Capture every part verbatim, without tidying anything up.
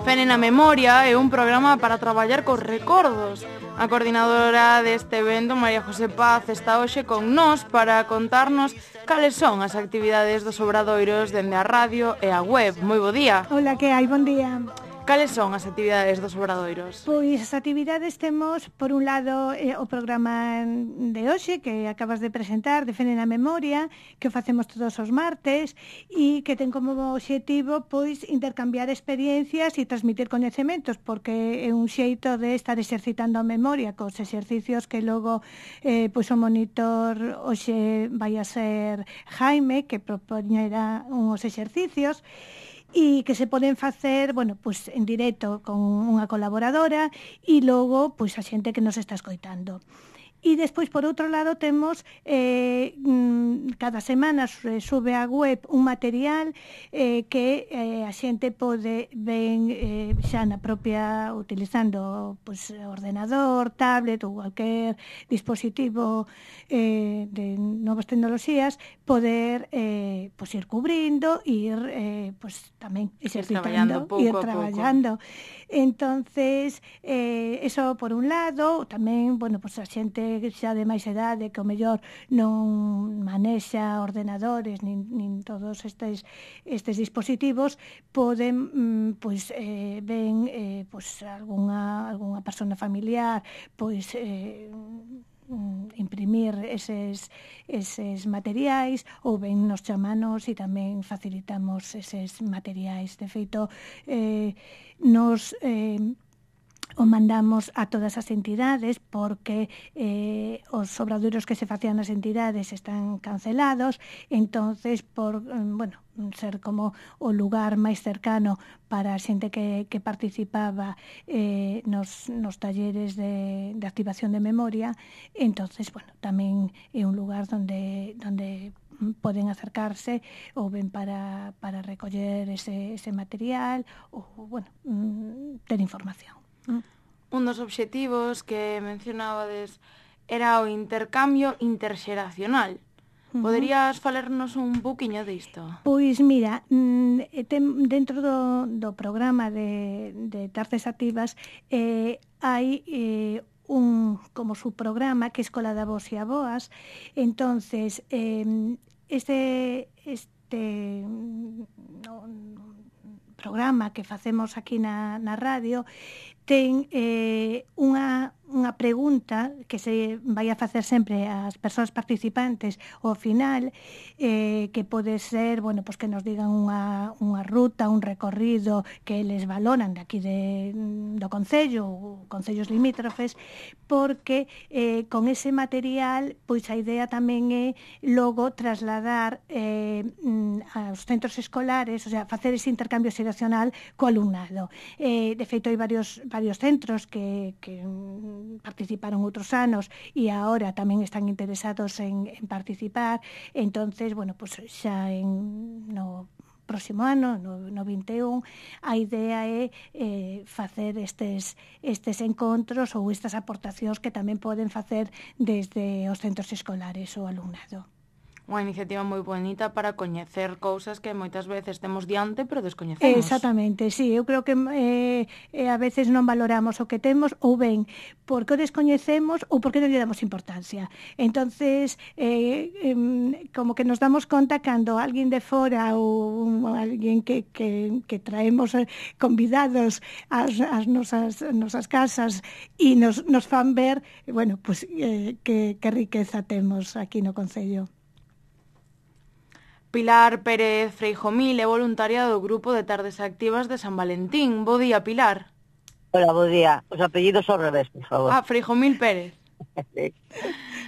Fene na Memoria é un programa para traballar cos recordos. A coordinadora deste evento, María José Paz, está hoxe con nós para contarnos cales son as actividades dos obradoiros dende a radio e a web. Moi bo día. Hola, que hai? Bon día. Cales son as actividades dos obradoiros? Pois as actividades temos, por un lado, eh, o programa de hoxe, que acabas de presentar, de Fene na Memoria, que o facemos todos os martes, e que ten como obxectivo, pois, intercambiar experiencias e transmitir coñecementos, porque é un xeito de estar exercitando a memoria cos exercicios que logo, eh, pois, o monitor hoxe vai a ser Jaime, que propoñerá uns exercicios, e que se poden facer, bueno, pois en directo con unha colaboradora e logo, pois a xente que nos está escoitando. E despois, por outro lado, temos eh, cada semana sube á web un material eh, que eh, a xente pode ben eh, xa na propia, utilizando pues, ordenador, tablet ou cualquier dispositivo eh, de novas tecnoloxías, poder eh, pues, ir cubrindo, ir eh, pues, tamén exercitando, ir traballando. Entonces, eh, eso por un lado, tamén, bueno, pues a xente xa de máis edade que o mellor non manexa ordenadores nin, nin todos estes, estes dispositivos poden, pois, eh, ben eh, pois, algunha, algunha persona familiar pois eh, imprimir eses, eses materiais ou ben nos chamanos e tamén facilitamos eses materiais. De feito, eh, nos... Eh, o mandamos a todas as entidades porque eh, os obradoiros que se facían nas entidades están cancelados, entonces por, bueno, ser como o lugar máis cercano para a xente que, que participaba eh, nos, nos talleres de, de activación de memoria, entonces, bueno, tamén é un lugar donde, donde poden acercarse ou ben para, para recoller ese, ese material ou, bueno, ter información. Un dos obxectivos que mencionabades era o intercambio interxeracional. Poderías falarnos un pouquiño disto? Pois mira, ten, dentro do, do programa de, de Tardes Activas eh, hai eh, un como subprograma que é Escola de Avós e Aboas. Entonces, eh, este, este no, programa que facemos aquí na, na radio ten eh, unha, unha pregunta que se vai a facer sempre ás persoas participantes ao final, eh, que pode ser, bueno, pues que nos digan unha, unha ruta, un recorrido que eles valoran de aquí de, do Concello ou Concellos limítrofes, porque eh, con ese material, pois a idea tamén é logo trasladar eh, aos centros escolares, o sea, facer ese intercambio xeracional co alumnado. Eh, de feito, hai varios varios centros que, que participaron outros anos e agora tamén están interesados en, en participar. Entonces, bueno, pues xa en, no próximo ano, no, no vinte e un, a idea é eh, facer estes, estes encontros ou estas aportacións que tamén poden facer desde os centros escolares ou alumnado. Unha iniciativa moi bonita para coñecer cousas que moitas veces temos diante, pero descoñecemos. Exactamente, sí, eu creo que eh, eh, a veces non valoramos o que temos ou ben porque o descoñecemos ou porque non lle damos importancia. Entonces, eh, eh, como que nos damos conta cando alguén de fora ou alguén que, que, que traemos convidados ás, ás nosas, nosas casas e nos, nos fan ver, bueno, pues, eh, que, que riqueza temos aquí no Concello. Pilar Pérez Freijomil é voluntaria do grupo de Tardes Activas de San Valentín. Bo día, Pilar. Hola, bo día. Os apellidos ao revés, por favor. Ah, Freijomil Pérez.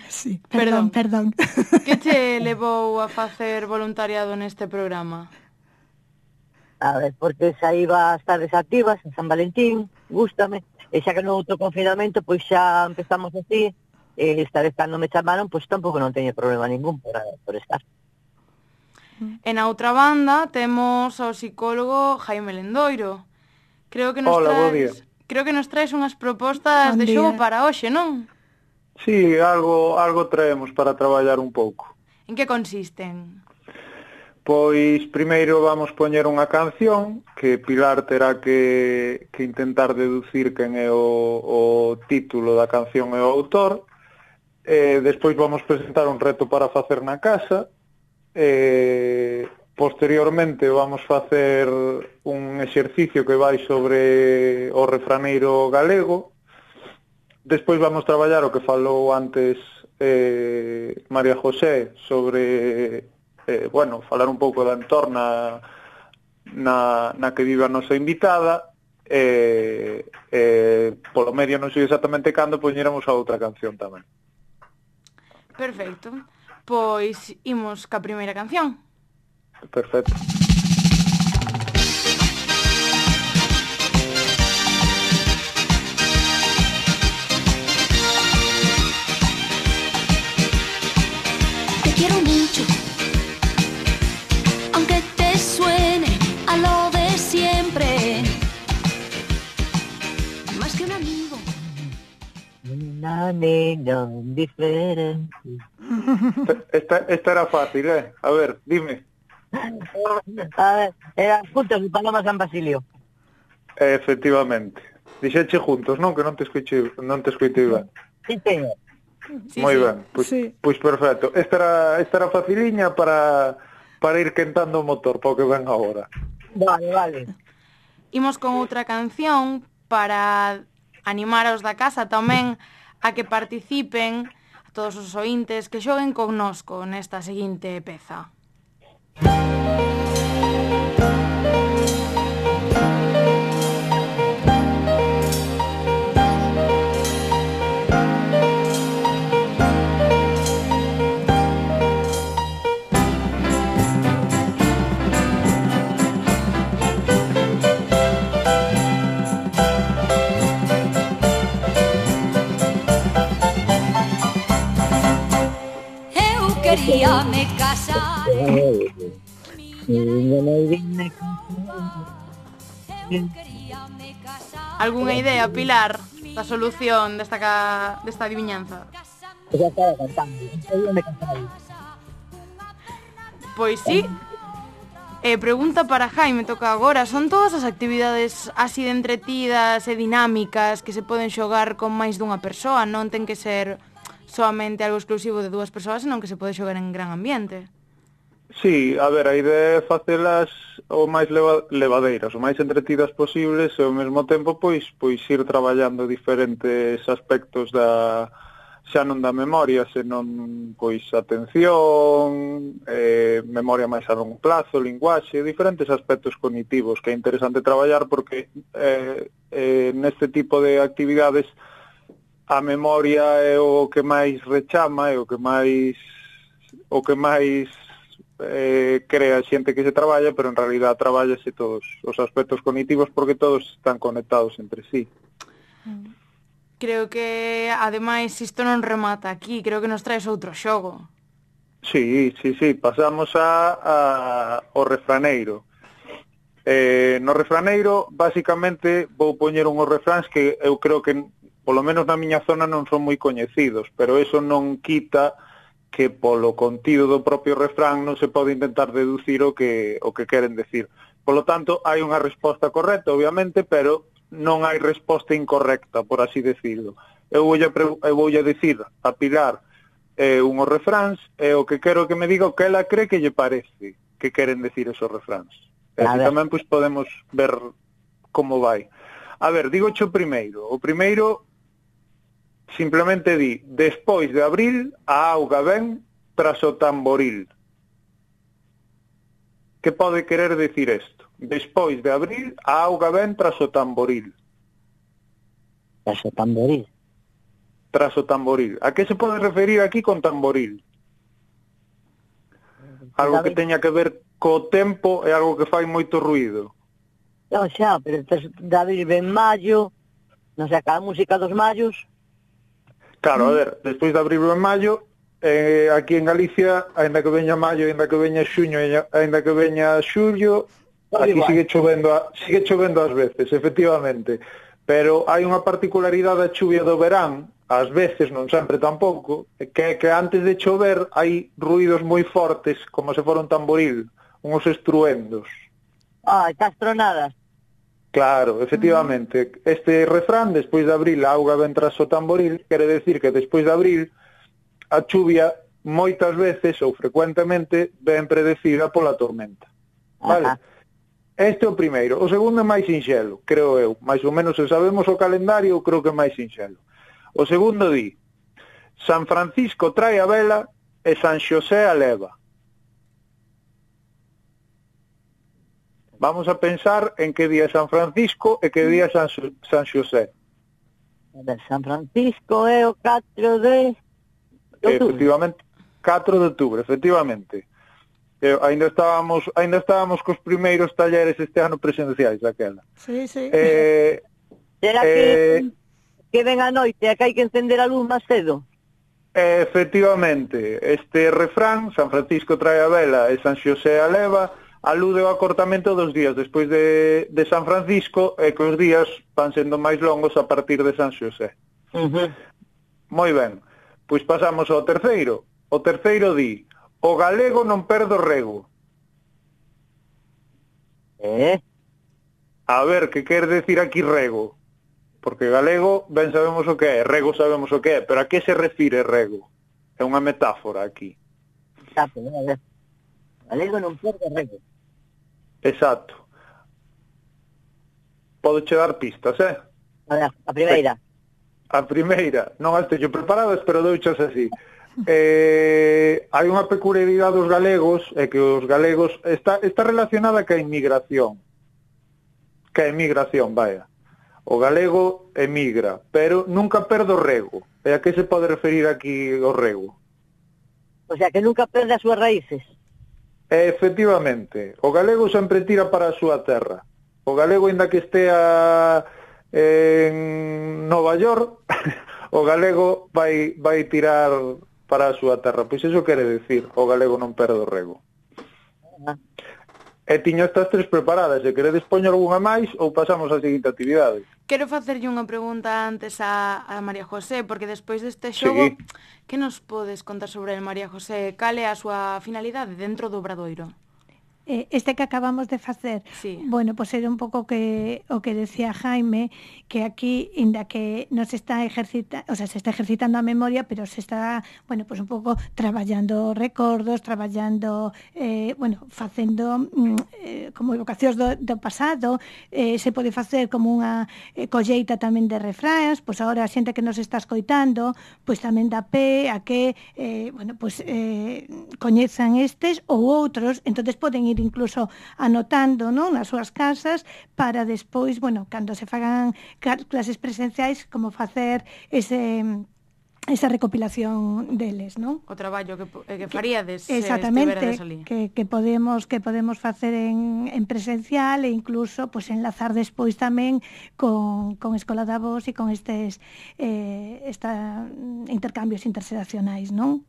Sí, perdón, perdón. Que che levou a facer voluntariado neste programa? A ver, porque xa iba as Tardes Activas en San Valentín, gústame, e xa que no outro confinamento, pois xa empezamos así, e esta vez cando me chamaron, pois tampouco non teño problema ningún por, por estar. E na outra banda temos ao psicólogo Jaime Lendoiro. Creo que nos Hola, traes, bo día. Creo que nos traes unhas propostas Bon de xogo día. para hoxe, non? Sí, algo algo traemos para traballar un pouco. En que consisten? Pois primeiro vamos poñer unha canción que Pilar terá que, que intentar deducir quen é o, o título da canción e o autor. Eh, despois vamos presentar un reto para facer na casa. Eh, posteriormente vamos facer un exercicio que vai sobre o refraneiro galego. Despois vamos traballar o que falou antes eh, María José sobre... Eh, bueno, falar un pouco da entorna na, na que vive a nosa invitada e eh, eh, polo medio non sei exactamente cando poñéramos a outra canción tamén. Perfecto, pois imos ca primeira canción. Perfecto. Te quiero mucho, aunque te suene a lo de siempre, más que un amigo. Una niña diferente. Esta, esta era fácil, eh? A ver, dime. A ver, eran juntos de Paloma San Basilio. Eh, efectivamente. Dixeche juntos, non? Que non te escoitei, non te escoitei ben. Sí, señor. Sí, Moi sí. ben, pois, Sí. pois perfecto. Esta era, esta era faciliña para, para ir quentando o motor para o que ven agora. Vale, vale. Imos con outra canción para animar aos da casa tamén a que participen, a todos os ointes que xoguen connosco nesta seguinte peza. Eu quería me casar. Eu quería me casar. Algúnha idea, Pilar, da solución desta, ca... desta adivinanza? Ya estaba cantando. Eu me cantaba. Pois sí. Eh, pregunta para Jaime, toca agora. Son todas as actividades así de entretidas e dinámicas que se poden xogar con máis dunha persoa? Non ten que ser solamente algo exclusivo de dúas persoas, senón que se pode xogar en gran ambiente. Sí, a ver, a idea é facelas o máis leva, levadeiras, o máis entretidas posibles e ao mesmo tempo pois pois ir traballando diferentes aspectos da xa non da memoria, senón pois atención, eh, memoria máis a longo plazo, linguaxe, diferentes aspectos cognitivos que é interesante traballar porque eh, eh, neste tipo de actividades a memoria é o que máis rechama, é o que máis o que máis eh, crea xente que se traballa, pero en realidad traballase todos os aspectos cognitivos porque todos están conectados entre sí. Creo que, ademais, isto non remata aquí. Creo que nos traes outro xogo. Sí, sí, sí, pasamos a, a o refraneiro. Eh, no refraneiro, basicamente, vou poñer unhos refráns que eu creo que, polo menos na miña zona, non son moi coñecidos, pero eso non quita que polo contido do propio refrán non se pode intentar deducir o que o que queren decir. Polo tanto, hai unha resposta correcta, obviamente, pero non hai resposta incorrecta, por así decirlo. Eu voulle, eu voulle dicir a Pilar eh, unhos refráns e o que quero que me diga o que ela cree que lle parece que queren decir esos refráns. E así tamén pois, podemos ver como vai. A ver, digo o primeiro. O primeiro simplemente di: despois de abril, a auga ven tras o tamboril. Que pode querer decir isto? Despois de abril, a auga ven tras o tamboril. Tras o tamboril. Tras o tamboril. A que se pode referir aquí con tamboril? Algo que teña que ver co tempo e algo que fai moito ruído. Non xa, pero tras de abril ven maio, non sei, a música dos mallos. Claro, a ver, despois de abril ven maio, eh, aquí en Galicia, aínda que veña maio, aínda que veña xuño, aínda que veña xullo, aquí sigue chovendo, a, sigue chovendo ás veces, efectivamente. Pero hai unha particularidade da chuvia do verán, ás veces, non sempre tampouco, que é que antes de chover hai ruídos moi fortes, como se fora un tamboril, unhos estruendos. Ah, castronadas. Claro, efectivamente. Este refrán, despois de abril a auga ven tras o tamboril, quere decir que despois de abril a chuvia moitas veces ou frecuentemente ven predecida pola tormenta. Vale? Ajá. Este é o primeiro. O segundo é máis sinxelo, creo eu. Mais ou menos, se sabemos o calendario, creo que é máis sinxelo. O segundo di: San Francisco trae a vela e San Xosé a leva. Vamos a pensar en que día é San Francisco e que día é San, San Xosé. A ver, San Francisco é o catro de outubro. Efectivamente, catro de outubro, efectivamente. Eh, ainda estábamos ainda estábamos cos primeiros talleres este ano presenciais daquela. Sí, sí. Eh, Será eh, que, que ven a noite e que hai que encender a luz máis cedo? Efectivamente, este refrán, San Francisco trae a vela e San Xosé a leva, alude ao acortamento dos días despois de, de San Francisco e que os días van sendo máis longos a partir de San Xosé. Uh-huh. Moi ben, pois pasamos ao terceiro. O terceiro di: o galego non perde o rego. Eh? A ver, que quer decir aquí rego? Porque galego ben sabemos o que é, rego sabemos o que é, pero a que se refire rego? É unha metáfora aquí. Exacto, a ver. Galego non perde o rego. Exacto. Pode che dar pistas, eh? A ver, a primeira. A primeira, non as teño preparadas, pero douchas así. Eh, hai unha peculiaridade dos galegos, é que os galegos está, está relacionada ca inmigración. Ca emigración, vaya. O galego emigra, pero nunca perde o rego. E a que se pode referir aquí o rego? O sea, que nunca perde as súas raíces. Efectivamente, o galego sempre tira para a súa terra. O galego, ainda que estea en Nova York, o galego vai vai tirar para a súa terra. Pois iso quere decir, o galego non perde o rego. Ah. E tiño estas tres preparadas, se queredes poñer algunha máis ou pasamos á seguinte actividade. Quero facerlle unha pregunta antes a, a María José, porque despois deste xogo, sí. Que nos podes contar sobre el, María José? Cal é a súa finalidade dentro do Obradoiro? Eh, este que acabamos de facer, sí. Bueno, pois pues era un pouco que o que decía Jaime, que aquí, inda que non se está ejercita, o sea, se está ejercitando a memoria, pero se está, bueno, pois pues un pouco traballando recordos, traballando, eh, bueno, facendo eh, como evocacións do, do pasado, eh, se pode facer como unha eh, colleita tamén de refráns, pois pues agora a xente que nos está escoitando, pois pues tamén dá pé a que, eh, bueno, pois pues, eh, coñezan estes ou outros, entonces poden ir incluso anotando, non, nas súas casas para despois, bueno, cando se fagan clases presenciais, como facer ese esa recopilación deles, non? O traballo que, que faríades se estiveredes ali. Que, que podemos que podemos facer en, en presencial e incluso pues, enlazar despois tamén con, con Escola da Voz e con estes eh, esta, intercambios interxeracionais, non?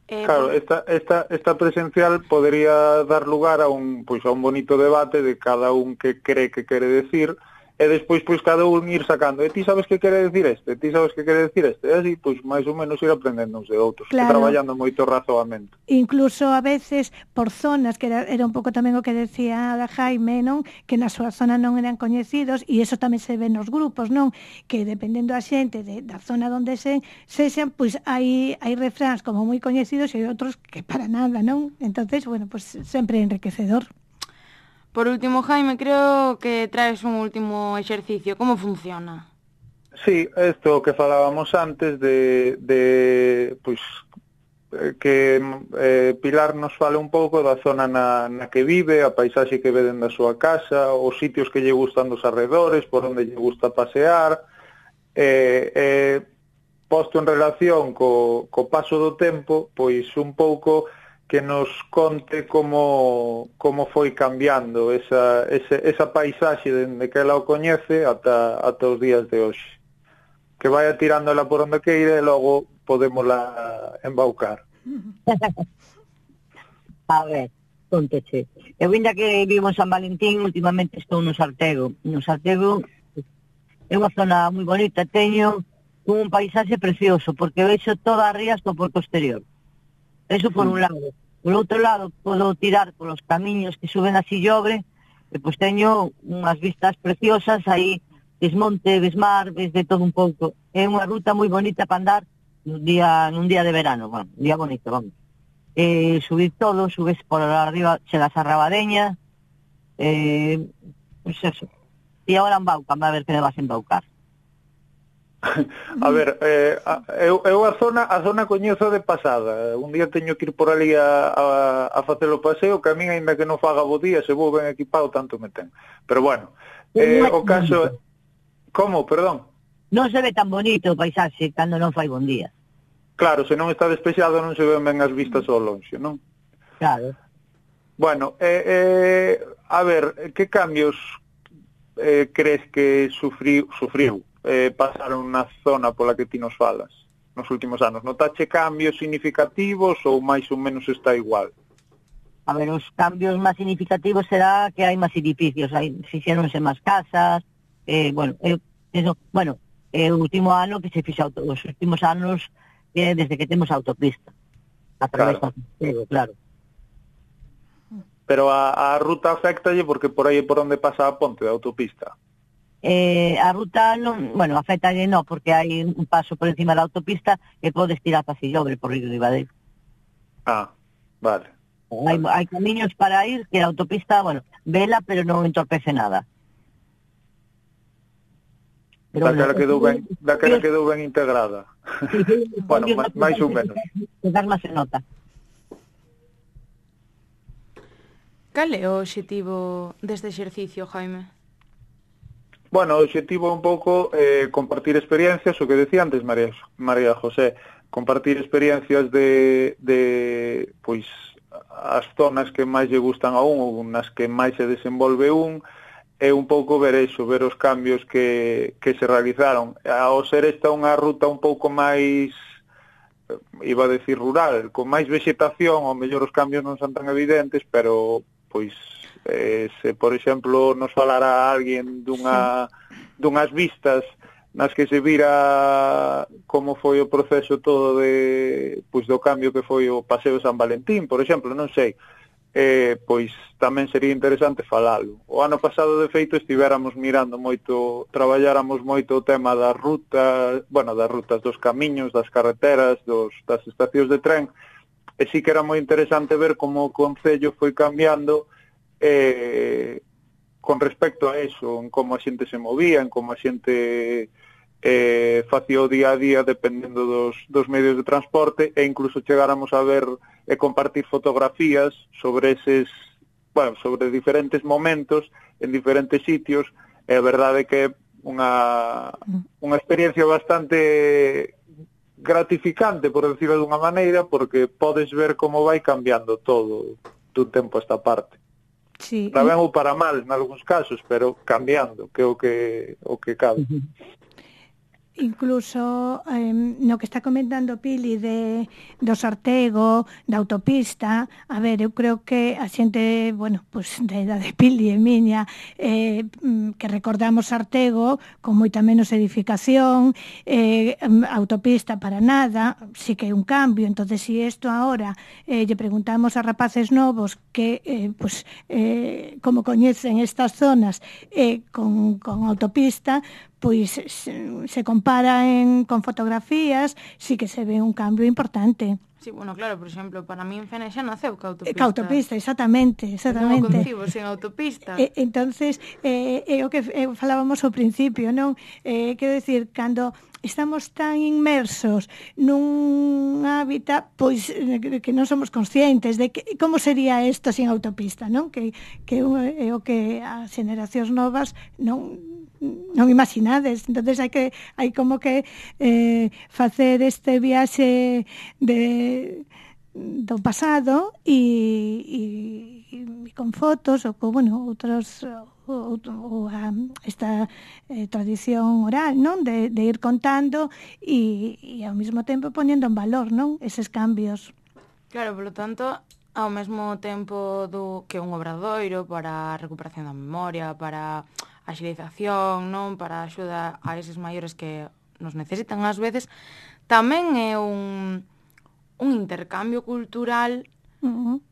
Eh, claro, esta, esta, esta presencial podría dar lugar a un, pois, a un bonito debate de cada un que cree que quere decir e despois pois cada un ir sacando, e ti sabes que quere decir este, e ti sabes que quere decir este, e así pois máis ou menos ir aprendendo uns de outros, claro. E traballando moito razoamento. Incluso a veces por zonas, que era, era un pouco tamén o que decía a Jaime, non? Que na súa zona non eran coñecidos, e iso tamén se ve nos grupos, non? Que dependendo a xente de, da zona onde se sexan, pois hai, hai refráns como moi coñecidos e outros que para nada, non? Entonces, bueno, pois sempre enriquecedor. Por último, Jaime, creo que traes un último exercicio. Como funciona? Sí, isto que falábamos antes de, de pois, que eh, Pilar nos fale un pouco da zona na, na que vive, a paisaxe que ve dentro da súa casa, os sitios que lle gustan dos arredores, por onde lle gusta pasear, eh, eh, posto en relación co, co paso do tempo, pois un pouco que nos conte como, como foi cambiando esa, esa, esa paisaxe dende que ela o coñece ata, ata os días de hoxe. Que vaya tirándola por onde queira e logo podémosla embaucar. A ver, conteche. Eu ainda que vivo en San Valentín, últimamente estou no Sartego. No Sartego é unha zona moi bonita, teño un paisaxe precioso, porque vexo todas as rías do porto exterior. Eso por un lado. Por outro lado, podo tirar polos camiños que suben a Sillobre, e pois teño unhas vistas preciosas aí, ves monte, ves mar, ves de todo un pouco. É unha ruta moi bonita para andar nun día, nun día de verano, bueno, un día bonito, vamos. Eh, subir todo, subes por arriba, chegas a Rabadeña, eh, pois eso. E agora en Bauca, a ver que me vas a embaucar. A ver, eh, a- eu, eu a zona a zona coñezo de pasada. Un día teño que ir por ali a, a, a facer o paseo, que a min, ainda que non faga bo día, se vou ben equipado, tanto me ten. Pero bueno, eh, o caso... Como, perdón? Non se ve tan bonito o paisaxe cando non fai bon día. Claro, se non está despexado non se ven ben as vistas ao lonxe, non? Claro. Bueno, eh, eh, a ver, que cambios eh, crees que sufriu, sufriu eh, pasaron na zona pola que ti nos falas nos últimos anos? Notache cambios significativos ou máis ou menos está igual? A ver, os cambios máis significativos será que hai máis edificios, hai, fixeronse máis casas, eh, bueno, eu, eso, bueno, é o último ano que se fixa, auto, os últimos anos eh, desde que temos autopista, a través Claro. do Santiago, claro. Pero a, a ruta afectalle porque por aí é por onde pasa a ponte da autopista. Eh, a ruta non, bueno, afectalle non, porque hai un paso por encima da autopista e podes tirar para Sillobre por Río de Ibadeiro. Ah, vale. Hai, hai camiños para ir que a autopista, bueno, vela, pero non entorpece nada. Daquela quedou ben, daquela quedou ben integrada. Sí, sí, Bueno, máis, máis ou menos. Quedar máis se nota. Cal é o obxectivo deste exercicio, Jaime? Bueno, o obxectivo é un pouco eh, compartir experiencias, o que decía antes María, María José, compartir experiencias de, de pois, as zonas que máis lle gustan a un ou nas que máis se desenvolve un, é un pouco ver eso, ver os cambios que, que se realizaron. Ao ser esta unha ruta un pouco máis, iba a decir rural, con máis vegetación, ao mellor os cambios non son tan evidentes, pero pois eh, se por exemplo nos falara alguén dunha, dunhas vistas nas que se vira como foi o proceso todo de pois do cambio que foi o Paseo de San Valentín, por exemplo, non sei, eh, pois tamén sería interesante falalo. O ano pasado, de feito, estivéramos mirando moito, traballáramos moito o tema das rutas, bueno, das rutas dos camiños, das carreteras, dos, das estacións de tren, e sí que era moi interesante ver como o Concello foi cambiando eh, con respecto a eso, en como a xente se movía, en como a xente eh, facía o día a día dependendo dos, dos medios de transporte, e incluso chegáramos a ver e compartir fotografías sobre eses, bueno, sobre diferentes momentos en diferentes sitios, e a verdade é que é unha, unha experiencia bastante gratificante, por decirlo dunha maneira, porque podes ver como vai cambiando todo dun tempo a esta parte. Sí. Para ben ou para mal, nalgúns casos, pero cambiando, que é o que, o que cabe. Incluso eh, no que está comentando Pili de, do Sartego, da autopista, a ver, eu creo que a xente, bueno, pues da idade de Pili e miña, eh, que recordamos Sartego con moita menos edificación, eh, autopista para nada, sí que é un cambio. Entonces, si isto ahora eh, lle preguntamos a rapaces novos que, eh, pues, eh, como coñecen estas zonas eh, con, con autopista, pois se, se compara en, con fotografías, sí que se ve un cambio importante. Sí, bueno, claro, por exemplo, para mí en Fene xa naceu ca autopista. Ca autopista, exactamente, exactamente. Non o concibo sen autopista. E, entonces, eh, é o que eh, falábamos ao principio, non? Eh, quero decir, cando estamos tan inmersos nun hábitat, pois que non somos conscientes de que, como sería isto sin autopista, non? Que, que é o que as xeracións novas non non imaginades. Entonces hai que hai como que eh, facer este viaxe de do pasado e, e, e con fotos ou con, bueno, outros ou, ou a, esta eh, tradición oral, non? De, de ir contando e, e ao mesmo tempo poñendo en valor, non? Eses cambios. Claro, polo tanto, ao mesmo tempo do que un obradoiro para a recuperación da memoria, para a agilización, non, para a axuda a eses maiores que nos necesitan ás veces, tamén é un, un intercambio cultural Uh-huh.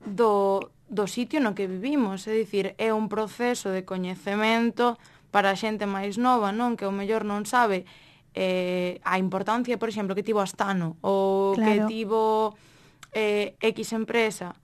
do, do sitio no que vivimos, é dicir, é un proceso de coñecemento para a xente máis nova, non? Que o mellor non sabe eh, a importancia, por exemplo, que tivo Astano ou Claro. que tivo eh, X empresa,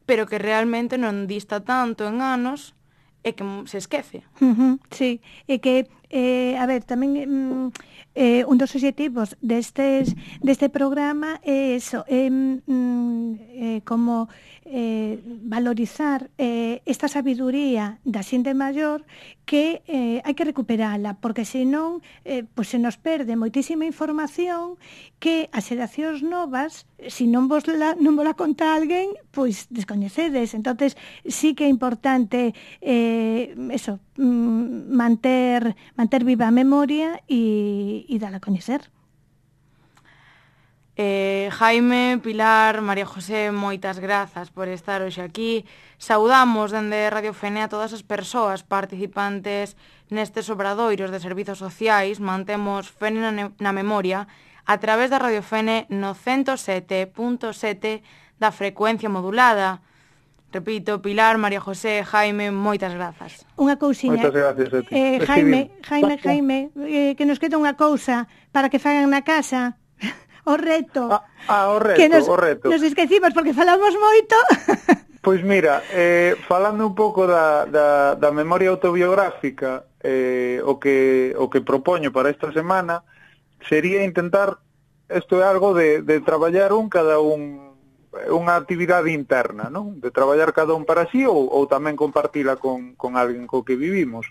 pero que realmente non dista tanto en anos e que se esquece. Uh-huh, sí, e que, eh, a ver, tamén mm, eh, un dos obxectivos destes, deste programa é eso, é mm, eh, como eh, valorizar eh, esta sabiduría da xente maior que eh, hai que recuperala, porque senón eh, pues se nos perde moitísima información que as xeracións novas, se non vos la, non vos la conta alguén, pois descoñecedes. Entonces sí que é importante eh, eso, mm, manter, manter viva a memoria e, e dala a coñecer. Eh, Jaime, Pilar, María José, moitas grazas por estar hoxe aquí. Saudamos dende Radio Fene a todas as persoas participantes nestes obradoiros de servizos sociais. Mantemos Fene na, na memoria a través da Radio Fene no ciento sete punto sete da frecuencia modulada. Repito, Pilar, María José, Jaime, moitas grazas. Unha cousiña. Moitas gracias a ti. Eh, Jaime, Jaime, Jaime, eh, que nos queda unha cousa para que fagan na casa. O reto. Ah, ah, o reto, que nos, o reto. Nos esquecimos porque falamos moito. Pois mira, eh, falando un pouco da, da, da memoria autobiográfica, eh, o que o que propoño para esta semana sería intentar, isto é algo de, de traballar un cada un unha actividade interna, non? De traballar cada un para sí ou, ou tamén compartila con, con alguén co que vivimos.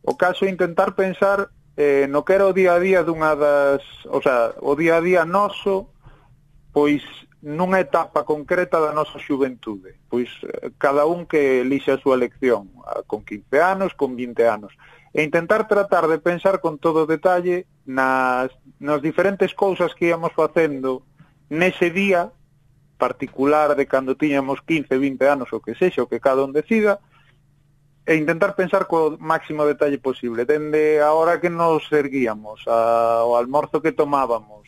O caso é intentar pensar eh, no que era o día a día dunha das, o sea, o día a día noso, pois nunha etapa concreta da nosa xuventude. Pois cada un que elixe a súa elección, con quince anos, con vinte anos. E intentar tratar de pensar con todo detalle nas, nas diferentes cousas que íamos facendo nese día particular de cando tiñamos quince, vinte anos, o que sexa, o que cada un decida, e intentar pensar co máximo detalle posible, dende a hora que nos erguíamos, ao almorzo que tomábamos,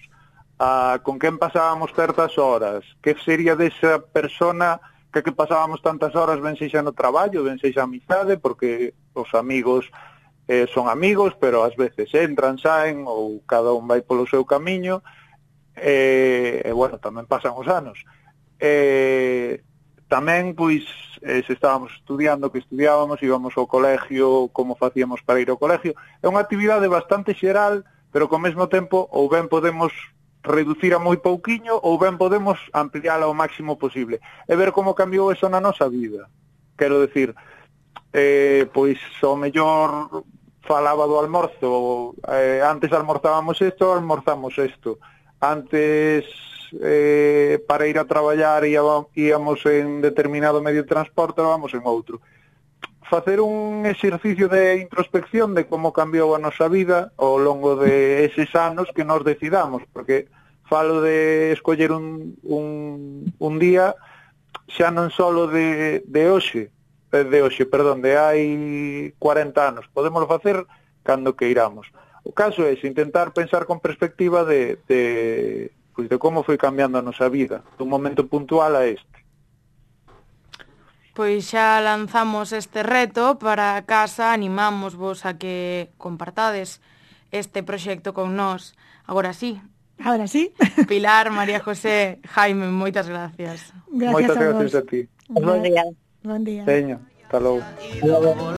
a con quen pasábamos certas horas, que sería desa persona que que pasábamos tantas horas, ben sexa no traballo, ben sexa amizade, porque os amigos eh, son amigos, pero ás veces entran, saen, ou cada un vai polo seu camiño, e, e bueno, tamén pasan os anos. E tamén, pois, eh, se estábamos estudiando, que estudiábamos, íbamos ao colegio, como facíamos para ir ao colegio. É unha actividade bastante xeral, pero ao mesmo tempo ou ben podemos reducir a moi pouquiño ou ben podemos ampliála ao máximo posible. E ver como cambiou eso na nosa vida. Quero decir, eh, pois, ao mellor falaba do almorzo, eh, antes almorzábamos isto, almorzamos isto. Antes... Eh, para ir a traballar íamos en determinado medio de transporte, vamos en outro. Facer un exercicio de introspección de como cambiou a nosa vida ao longo de eses anos que nos decidamos, porque falo de escoller un, un, un día xa non solo de, de hoxe, de hoxe, perdón, de hai cuarenta anos, podemos facer cando que iramos. O caso é intentar pensar con perspectiva de, de pois de como foi cambiando a nosa vida, dun momento puntual a este. Pois xa lanzamos este reto para a casa, animamos vos a que compartades este proxecto con nós. Agora sí. Agora sí. Pilar, María José, Jaime, moitas gracias. Gracias moitas a gracias vos. a ti. Bon día. Bon día. Teño, hasta logo.